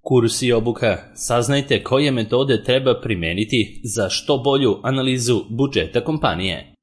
Kurs i obuka. Saznajte koje metode treba primeniti za što bolju analizu budžeta kompanije.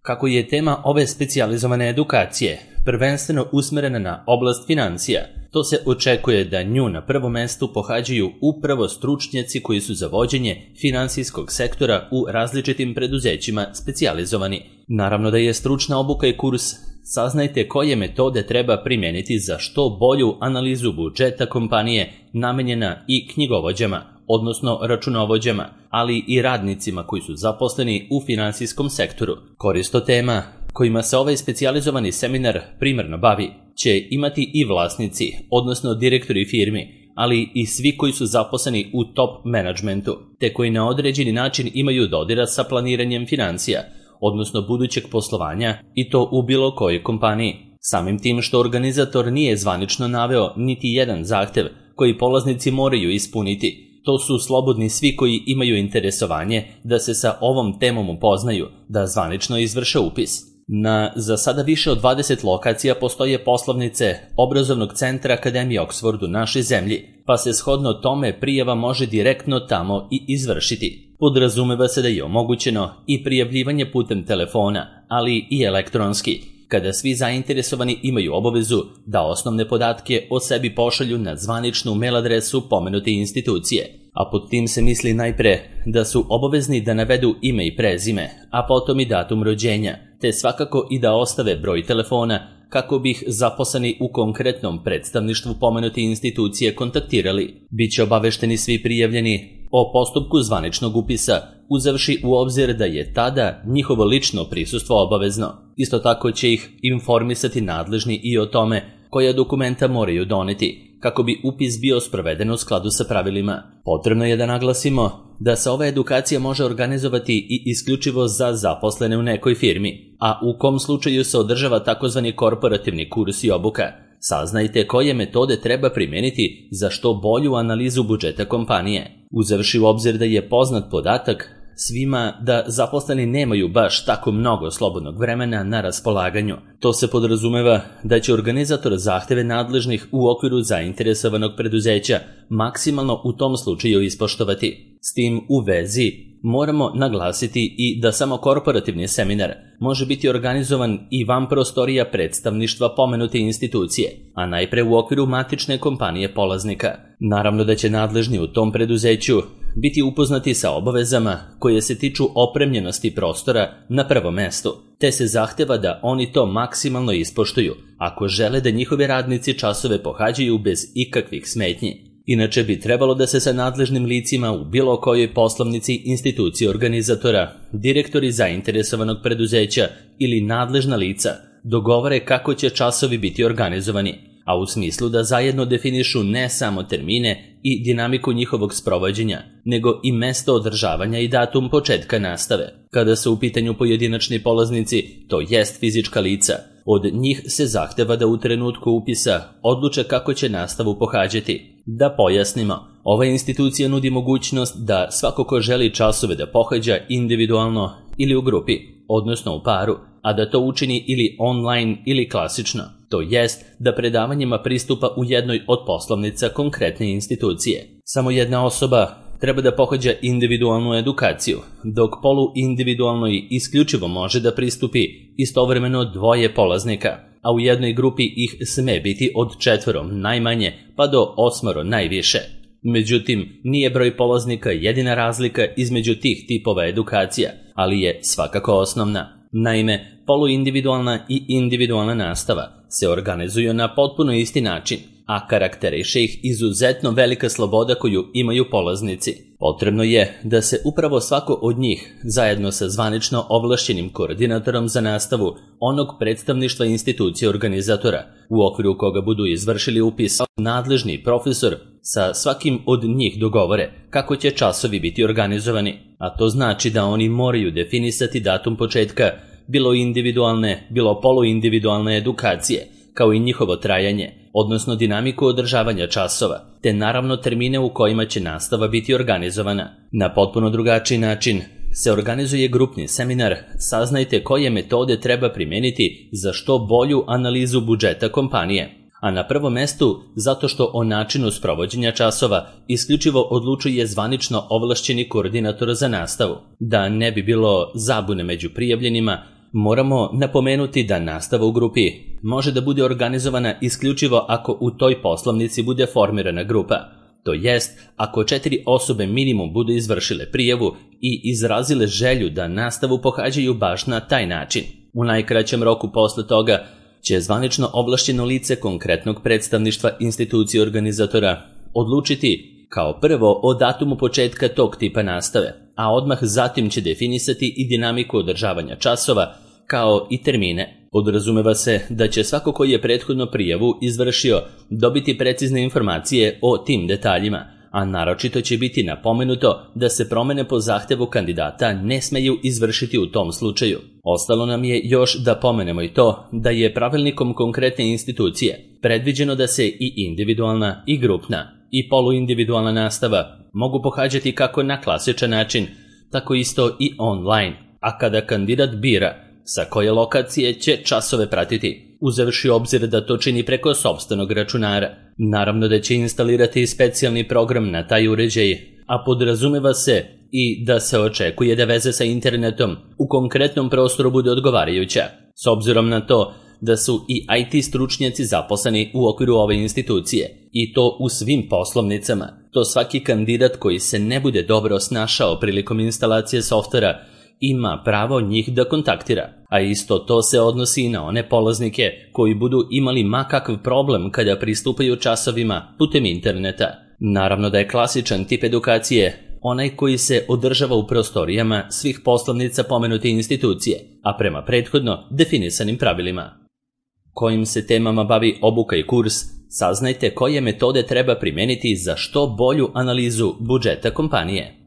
Kako je tema ove specijalizovane edukacije prvenstveno usmerena na oblast financija, to se očekuje da nju na prvom mestu pohađaju upravo stručnjaci koji su za vođenje finansijskog sektora u različitim preduzećima specijalizovani. Naravno da je stručna obuka i kurs Saznajte koje metode treba primeniti za što bolju analizu budžeta kompanije namenjena i knjigovođama, odnosno računovođama, ali i radnicima koji su zaposleni u finansijskom sektoru. Koristo tema kojima se ovaj specijalizovani seminar primarno bavi će imati i vlasnici, odnosno direktori firmi, ali i svi koji su zaposleni u top menadžmentu, te koji na određeni način imaju dodira sa planiranjem financija, odnosno budućeg poslovanja, i to u bilo kojoj kompaniji. Samim tim što organizator nije zvanično naveo niti jedan zahtev koji polaznici moraju ispuniti, to su slobodni svi koji imaju interesovanje da se sa ovom temom upoznaju, da zvanično izvrše upis. Na za sada više od 20 lokacija postoje poslovnice obrazovnog centra Akademije Oxford u našoj zemlji, pa se shodno tome prijava može direktno tamo i izvršiti. Podrazumeva se da je omogućeno i prijavljivanje putem telefona, ali i elektronski, kada svi zainteresovani imaju obavezu da osnovne podatke o sebi pošalju na zvaničnu mail adresu pomenute institucije, a pod tim se misli najpre da su obavezni da navedu ime i prezime, a potom i datum rođenja, te svakako i da ostave broj telefona kako bi ih zaposleni u konkretnom predstavništvu pomenute institucije kontaktirali. Biće obavešteni svi prijavljeni o postupku zvaničnog upisa, uzevši u obzir da je tada njihovo lično prisustvo obavezno. Isto tako će ih informisati nadležni i o tome koja dokumenta moraju doneti, kako bi upis bio sproveden u skladu sa pravilima. Potrebno je da naglasimo da se ova edukacija može organizovati i isključivo za zaposlene u nekoj firmi, a u kom slučaju se održava takozvani korporativni kurs i obuka. Saznajte koje metode treba primeniti za što bolju analizu budžeta kompanije. Uzevši u obzir da je poznat podatak svima da zaposleni nemaju baš tako mnogo slobodnog vremena na raspolaganju, to se podrazumeva da će organizator zahteve nadležnih u okviru zainteresovanog preduzeća maksimalno u tom slučaju ispoštovati. S tim u vezi moramo naglasiti i da samo korporativni seminar može biti organizovan i van prostorija predstavništva pomenute institucije, a najpre u okviru matične kompanije polaznika. Naravno da će nadležni u tom preduzeću biti upoznati sa obavezama koje se tiču opremljenosti prostora na prvom mestu, te se zahteva da oni to maksimalno ispoštuju ako žele da njihovi radnici časove pohađaju bez ikakvih smetnji. Inače bi trebalo da se sa nadležnim licima u bilo kojoj poslovnici institucije organizatora, direktori zainteresovanog preduzeća ili nadležna lica dogovore kako će časovi biti organizovani, a u smislu da zajedno definišu ne samo termine i dinamiku njihovog sprovođenja, nego i mesto održavanja i datum početka nastave. Kada su u pitanju pojedinačni polaznici, to jest fizička lica, od njih se zahteva da u trenutku upisa odluče kako će nastavu pohađati. Da pojasnimo, ova institucija nudi mogućnost da svako ko želi časove da pohađa individualno ili u grupi, odnosno u paru, a da to učini ili online ili klasično, to jest da predavanjima pristupa u jednoj od poslovnica konkretne institucije. Samo jedna osoba treba da pohađa individualnu edukaciju, dok poluindividualnoj isključivo može da pristupi istovremeno dvoje polaznika, a u jednoj grupi ih sme biti od 4 najmanje pa do 8 najviše. Međutim, nije broj polaznika jedina razlika između tih tipova edukacija, ali je svakako osnovna. Naime, poluindividualna i individualna nastava se organizuju na potpuno isti način, a karakteriše ih izuzetno velika sloboda koju imaju polaznici. Potrebno je da se upravo svako od njih, zajedno sa zvanično ovlašćenim koordinatorom za nastavu onog predstavništva institucije organizatora, u okviru koga budu izvršili upis, nadležni profesor sa svakim od njih dogovore kako će časovi biti organizovani, a to znači da oni moraju definisati datum početka bilo individualne, bilo poluindividualne edukacije, kao i njihovo trajanje, odnosno dinamiku održavanja časova, te naravno termine u kojima će nastava biti organizovana. Na potpuno drugačiji način se organizuje grupni seminar Saznajte koje metode treba primeniti za što bolju analizu budžeta kompanije. a na prvom mestu zato što o načinu sprovođenja časova isključivo odlučuje zvanično ovlašćeni koordinator za nastavu. Da ne bi bilo zabune među prijavljenima, moramo napomenuti da nastava u grupi može da bude organizovana isključivo ako u toj poslovnici bude formirana grupa. To jest, ako 4 osobe minimum budu izvršile prijavu i izrazile želju da nastavu pohađaju baš na taj način. U najkraćem roku posle toga će zvanično ovlašćeno lice konkretnog predstavništva institucije organizatora odlučiti kao prvo o datumu početka tog tipa nastave, a odmah zatim će definisati i dinamiku održavanja časova kao i termine. Podrazumeva se da će svako koji je prethodno prijavu izvršio dobiti precizne informacije o tim detaljima, a naročito će biti napomenuto da se promene po zahtevu kandidata ne smeju izvršiti u tom slučaju. Ostalo nam je još da pomenemo i to da je pravilnikom konkretne institucije predviđeno da se i individualna i grupna i poluindividualna nastava mogu pohađati kako na klasičan način, tako isto i online, a kada kandidat bira sa koje lokacije će časove pratiti, uzevši obzir da to čini preko sopstvenog računara. Naravno da će instalirati specijalni program na taj uređaj, a podrazumeva se i da se očekuje da veza sa internetom u konkretnom prostoru bude odgovarajuća, s obzirom na to da su i IT stručnjaci zaposleni u okviru ove institucije, i to u svim poslovnicama. To svaki kandidat koji se ne bude dobro snašao prilikom instalacije softvera ima pravo njih da kontaktira, a isto to se odnosi i na one polaznike koji budu imali makakav problem kada pristupaju časovima putem interneta. Naravno da je klasičan tip edukacije onaj koji se održava u prostorijama svih poslovnica pomenute institucije, a prema prethodno definisanim pravilima. Kojim se temama bavi obuka i kurs, saznajte koje metode treba primeniti za što bolju analizu budžeta kompanije.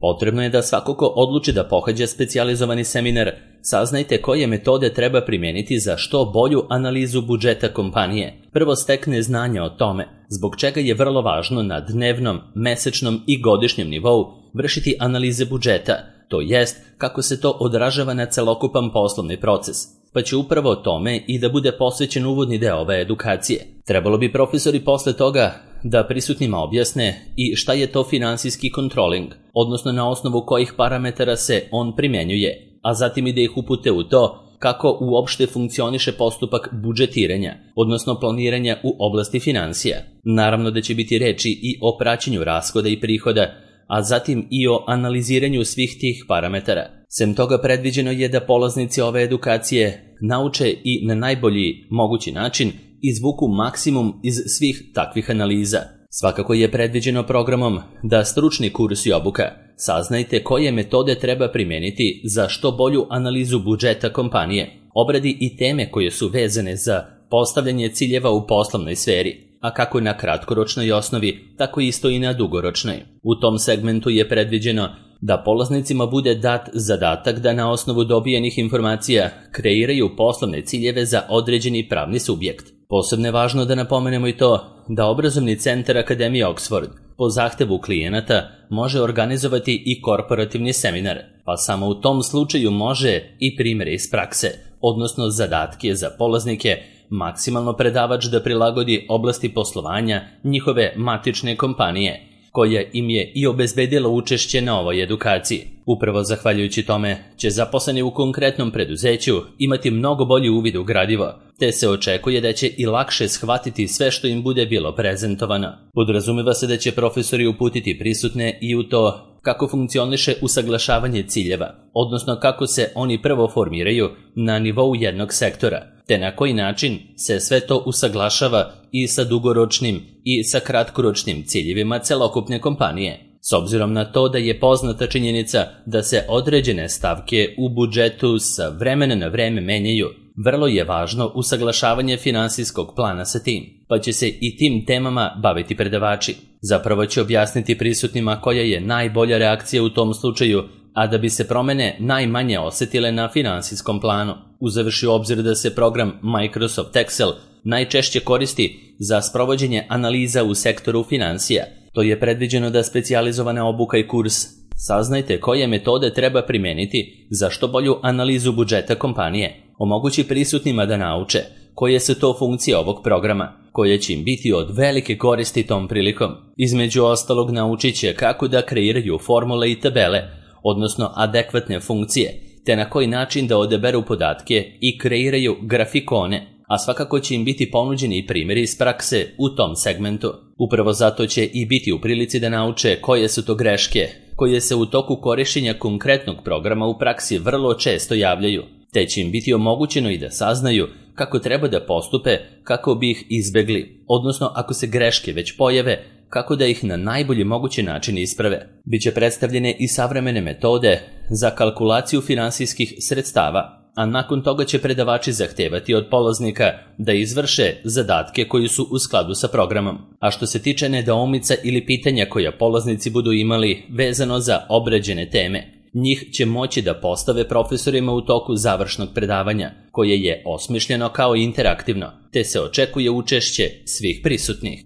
Potrebno je da svako ko odluči da pohađa specijalizovani seminar, saznajte koje metode treba primeniti za što bolju analizu budžeta kompanije. Prvo stekne znanja o tome, zbog čega je vrlo važno na dnevnom, mesečnom i godišnjem nivou vršiti analize budžeta, to jest kako se to odražava na celokupan poslovni proces, pa će upravo tome i da bude posvećen uvodni deo ove edukacije. Trebalo bi profesori posle toga da prisutnima objasne i šta je to finansijski kontroling, odnosno na osnovu kojih parametara se on primenjuje, a zatim i da ih upute u to kako uopšte funkcioniše postupak budžetiranja, odnosno planiranja u oblasti finansija. Naravno da će biti reči i o praćenju rashoda i prihoda, a zatim i o analiziranju svih tih parametara. Sem toga predviđeno je da polaznici ove edukacije nauče i na najbolji mogući način izvuku maksimum iz svih takvih analiza. Svakako je predviđeno programom da stručni kurs i obuka saznajte koje metode treba primeniti za što bolju analizu budžeta kompanije, obradi i teme koje su vezane za postavljanje ciljeva u poslovnoj sferi, a kako na kratkoročnoj osnovi, tako isto i na dugoročnoj. U tom segmentu je predviđeno da polaznicima bude dat zadatak da na osnovu dobijenih informacija kreiraju poslovne ciljeve za određeni pravni subjekt. Posebno je važno da napomenemo i to da obrazovni centar Akademije Oxford po zahtevu klijenata može organizovati i korporativni seminar, pa samo u tom slučaju može i primjere iz prakse, odnosno zadatke za polaznike, maksimalno predavač da prilagodi oblasti poslovanja njihove matične kompanije, koja im je i obezbedila učešće na ovoj edukaciji. Upravo zahvaljujući tome će zaposleni u konkretnom preduzeću imati mnogo bolji uvid u gradivo, te se očekuje da će i lakše shvatiti sve što im bude bilo prezentovano. Podrazumeva se da će profesori uputiti prisutne i u to kako funkcioniše usaglašavanje ciljeva, odnosno kako se oni prvo formiraju na nivou jednog sektora, te na koji način se sve to usaglašava i sa dugoročnim i sa kratkoročnim ciljevima celokupne kompanije. S obzirom na to da je poznata činjenica da se određene stavke u budžetu sa vremena na vreme menjaju, vrlo je važno usaglašavanje finansijskog plana sa tim, pa će se i tim temama baviti predavači. Zapravo će objasniti prisutnima koja je najbolja reakcija u tom slučaju, a da bi se promene najmanje osetile na finansijskom planu, uzevši u obzir da se program Microsoft Excel najčešće koristi za sprovođenje analiza u sektoru finansija. To je predviđeno da specijalizovana obuka i kurs saznajte koje metode treba primeniti za što bolju analizu budžeta kompanije, omogući prisutnima da nauče koje su to funkcije ovog programa, koje će im biti od velike koristi tom prilikom. Između ostalog naučit će kako da kreiraju formule i tabele, odnosno adekvatne funkcije, te na koji način da odaberu podatke i kreiraju grafikone, a svakako će im biti ponuđeni i primjeri iz prakse u tom segmentu. Upravo zato će i biti u prilici da nauče koje su to greške, koje se u toku korištenja konkretnog programa u praksi vrlo često javljaju, te će im biti omogućeno i da saznaju kako treba da postupe kako bi ih izbegli, odnosno ako se greške već pojave, kako da ih na najbolji mogući način isprave. Biće predstavljene i savremene metode za kalkulaciju finansijskih sredstava, a nakon toga će predavači zahtevati od polaznika da izvrše zadatke koji su u skladu sa programom. A što se tiče nedoumica ili pitanja koja polaznici budu imali vezano za obrađene teme, njih će moći da postave profesorima u toku završnog predavanja, koje je osmišljeno kao interaktivno, te se očekuje učešće svih prisutnih.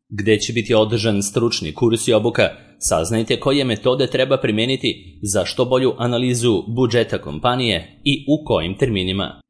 Gde će biti održan stručni kurs i obuka, saznajte koje metode treba primeniti za što bolju analizu budžeta kompanije i u kojim terminima.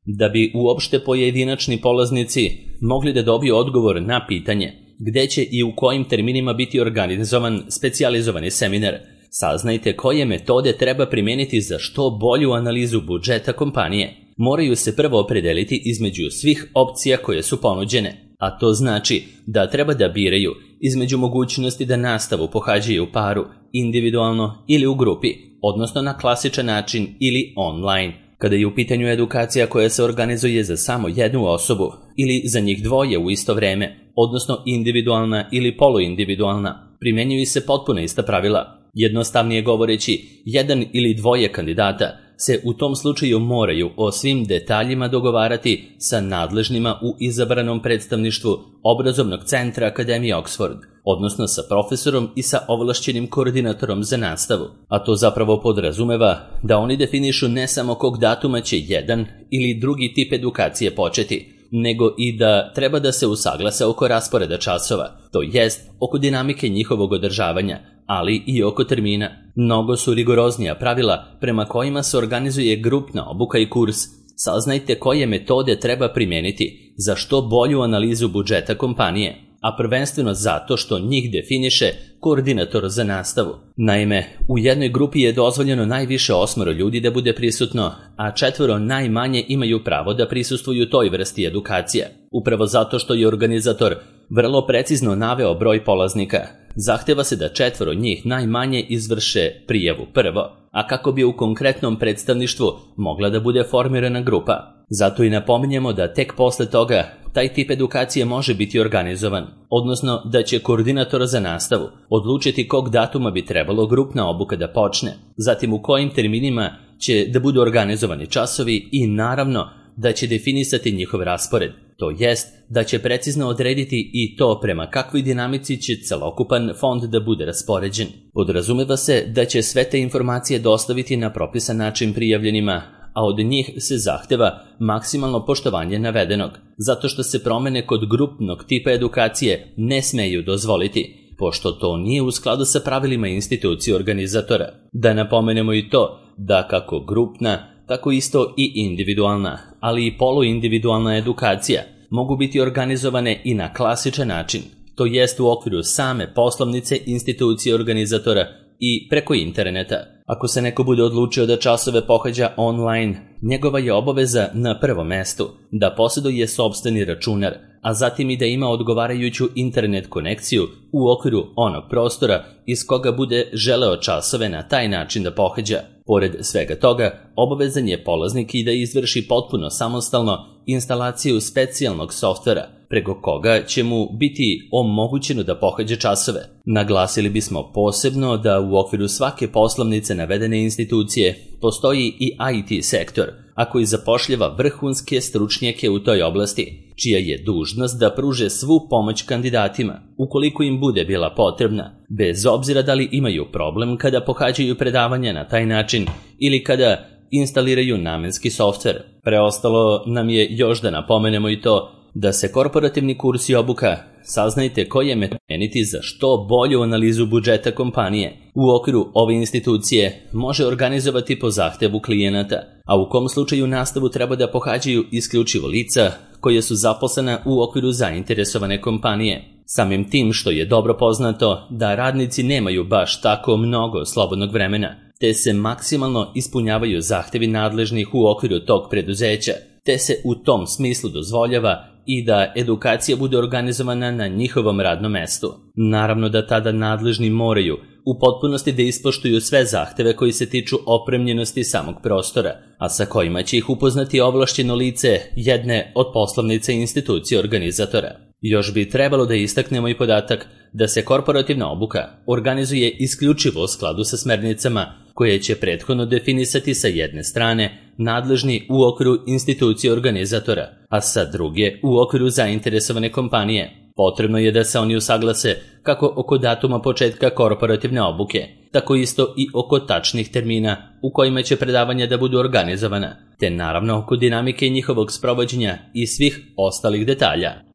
Da bi uopšte pojedinačni polaznici mogli da dobiju odgovor na pitanje gde će i u kojim terminima biti organizovan specijalizovani seminar, saznajte koje metode treba primeniti za što bolju analizu budžeta kompanije. Moraju se prvo opredeliti između svih opcija koje su ponuđene, a to znači da treba da biraju između mogućnosti da nastavu pohađaju u paru, individualno ili u grupi, odnosno na klasičan način ili online. Kada je u pitanju edukacija koja se organizuje za samo jednu osobu ili za njih dvoje u isto vreme, odnosno individualna ili poluindividualna, primjenjuju se potpuno ista pravila. Jednostavnije govoreći, jedan ili dvoje kandidata se u tom slučaju moraju o svim detaljima dogovarati sa nadležnima u izabranom predstavništvu obrazovnog centra Akademije Oxford, odnosno sa profesorom i sa ovlašćenim koordinatorom za nastavu. A to zapravo podrazumeva da oni definišu ne samo kog datuma će jedan ili drugi tip edukacije početi, nego i da treba da se usaglase oko rasporeda časova, to jest oko dinamike njihovog održavanja, ali i oko termina. Mnogo su rigoroznija pravila prema kojima se organizuje grupna obuka i kurs. Saznajte koje metode treba primeniti za što bolju analizu budžeta kompanije, a prvenstveno zato što njih definiše koordinator za nastavu. Naime, u jednoj grupi je dozvoljeno najviše 8 ljudi da bude prisutno, a 4 najmanje imaju pravo da prisustvuju toj vrsti edukacije. Upravo zato što je organizator vrlo precizno naveo broj polaznika, zahteva se da 4 njih najmanje izvrše prijavu prvo, a kako bi u konkretnom predstavništvu mogla da bude formirana grupa. Zato i napominjemo da tek posle toga taj tip edukacije može biti organizovan, odnosno da će koordinator za nastavu odlučiti kog datuma bi trebalo grupna obuka da počne, zatim u kojim terminima će da budu organizovani časovi i naravno da će definisati njihov raspored, to jest da će precizno odrediti i to prema kakvoj dinamici će celokupan fond da bude raspoređen. Podrazumeva se da će sve te informacije dostaviti na propisan način prijavljenima, a od njih se zahteva maksimalno poštovanje navedenog, zato što se promene kod grupnog tipa edukacije ne smeju dozvoliti, pošto to nije u skladu sa pravilima institucije organizatora. Da napomenemo i to da kako grupna, tako isto i individualna, ali i poluindividualna edukacija mogu biti organizovane i na klasičan način, to jest u okviru same poslovnice institucije organizatora i preko interneta. Ako se neko bude odlučio da časove pohađa online, njegova je obaveza na prvom mestu da posjeduje sopstveni računar, a zatim i da ima odgovarajuću internet konekciju u okviru onog prostora iz koga bude želeo časove na taj način da pohađa. Pored svega toga, obavezan je polaznik i da izvrši potpuno samostalno instalaciju specijalnog softvera, preko koga će mu biti omogućeno da pohađa časove. Naglasili bismo posebno da u okviru svake poslovnice navedene institucije postoji i IT sektor, a koji zapošljava vrhunske stručnjake u toj oblasti, čija je dužnost da pruže svu pomoć kandidatima, ukoliko im bude bila potrebna, bez obzira da li imaju problem kada pohađaju predavanja na taj način ili kada instaliraju namenski softver. Preostalo nam je još da napomenemo i to da se korporativni kurs i obuka, saznajte koje metode primeniti za što bolju analizu budžeta kompanije u okviru ove institucije može organizovati po zahtevu klijenata, a u kom slučaju nastavu treba da pohađaju isključivo lica koje su zaposlena u okviru zainteresovane kompanije. Samim tim što je dobro poznato da radnici nemaju baš tako mnogo slobodnog vremena, te se maksimalno ispunjavaju zahtevi nadležnih u okviru tog preduzeća, te se u tom smislu dozvoljava i da edukacija bude organizovana na njihovom radnom mestu. Naravno da tada nadležni moraju u potpunosti da ispoštuju sve zahteve koji se tiču opremljenosti samog prostora, a sa kojima će ih upoznati ovlašćeno lice jedne od poslovnica institucije organizatora. Još bi trebalo da istaknemo i podatak da se korporativna obuka organizuje isključivo u skladu sa smernicama koje će prethodno definisati sa jedne strane nadležni u okviru institucije organizatora, a sa druge u okviru zainteresovane kompanije. Potrebno je da se oni usaglase kako oko datuma početka korporativne obuke, tako isto i oko tačnih termina u kojima će predavanja da budu organizovana, te naravno oko dinamike njihovog sprovođenja i svih ostalih detalja.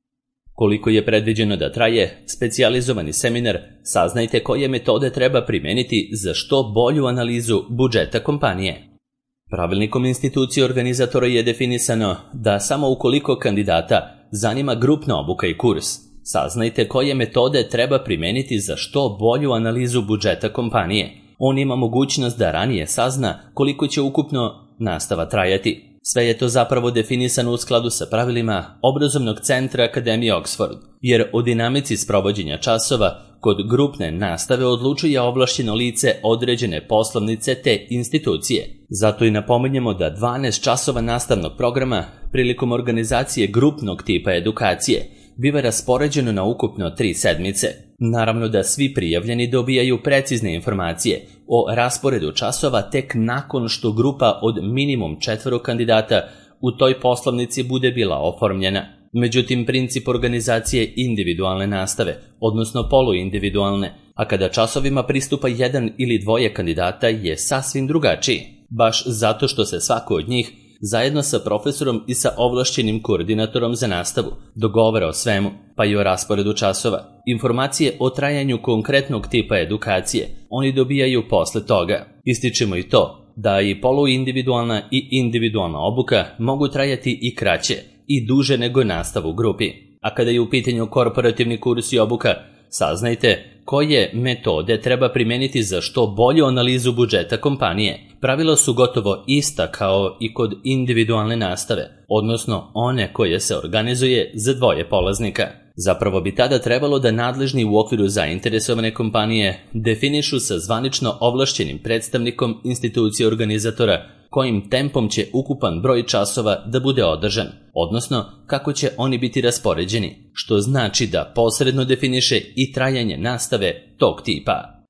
Koliko je predviđeno da traje specijalizovani seminar, saznajte koje metode treba primeniti za što bolju analizu budžeta kompanije. Pravilnikom institucije organizatora je definisano da samo ukoliko kandidata zanima grupna obuka i kurs, saznajte koje metode treba primeniti za što bolju analizu budžeta kompanije. On ima mogućnost da ranije sazna koliko će ukupno nastava trajati. Sve je to zapravo definisano u skladu sa pravilima Obrazovnog centra Akademije Oxford, jer o dinamici sprovođenja časova kod grupne nastave odlučuje ovlašćeno lice određene poslovnice te institucije. Zato i napominjemo da 12 časova nastavnog programa prilikom organizacije grupnog tipa edukacije biva raspoređeno na ukupno 3 sedmice. Naravno da svi prijavljeni dobijaju precizne informacije o rasporedu časova tek nakon što grupa od minimum 4 kandidata u toj poslovnici bude bila oformljena. Međutim, princip organizacije individualne nastave, odnosno poluindividualne, a kada časovima pristupa 1 ili 2 kandidata je sasvim drugačiji, baš zato što se svako od njih zajedno sa profesorom i sa ovlašćenim koordinatorom za nastavu dogovara o svemu, pa i o rasporedu časova. Informacije o trajanju konkretnog tipa edukacije oni dobijaju posle toga. Ističemo i to da i poluindividualna i individualna obuka mogu trajati i kraće i duže nego nastav u grupi. A kada je u pitanju korporativni kurs i obuka, saznajte koje metode treba primeniti za što bolju analizu budžeta kompanije. Pravila su gotovo ista kao i kod individualne nastave, odnosno one koje se organizuje za 2 polaznika. Zapravo bi tada trebalo da nadležni u okviru zainteresovane kompanije definišu sa zvanično ovlašćenim predstavnikom institucije organizatora kojim tempom će ukupan broj časova da bude održan, odnosno kako će oni biti raspoređeni, što znači da posredno definiše i trajanje nastave tog tipa.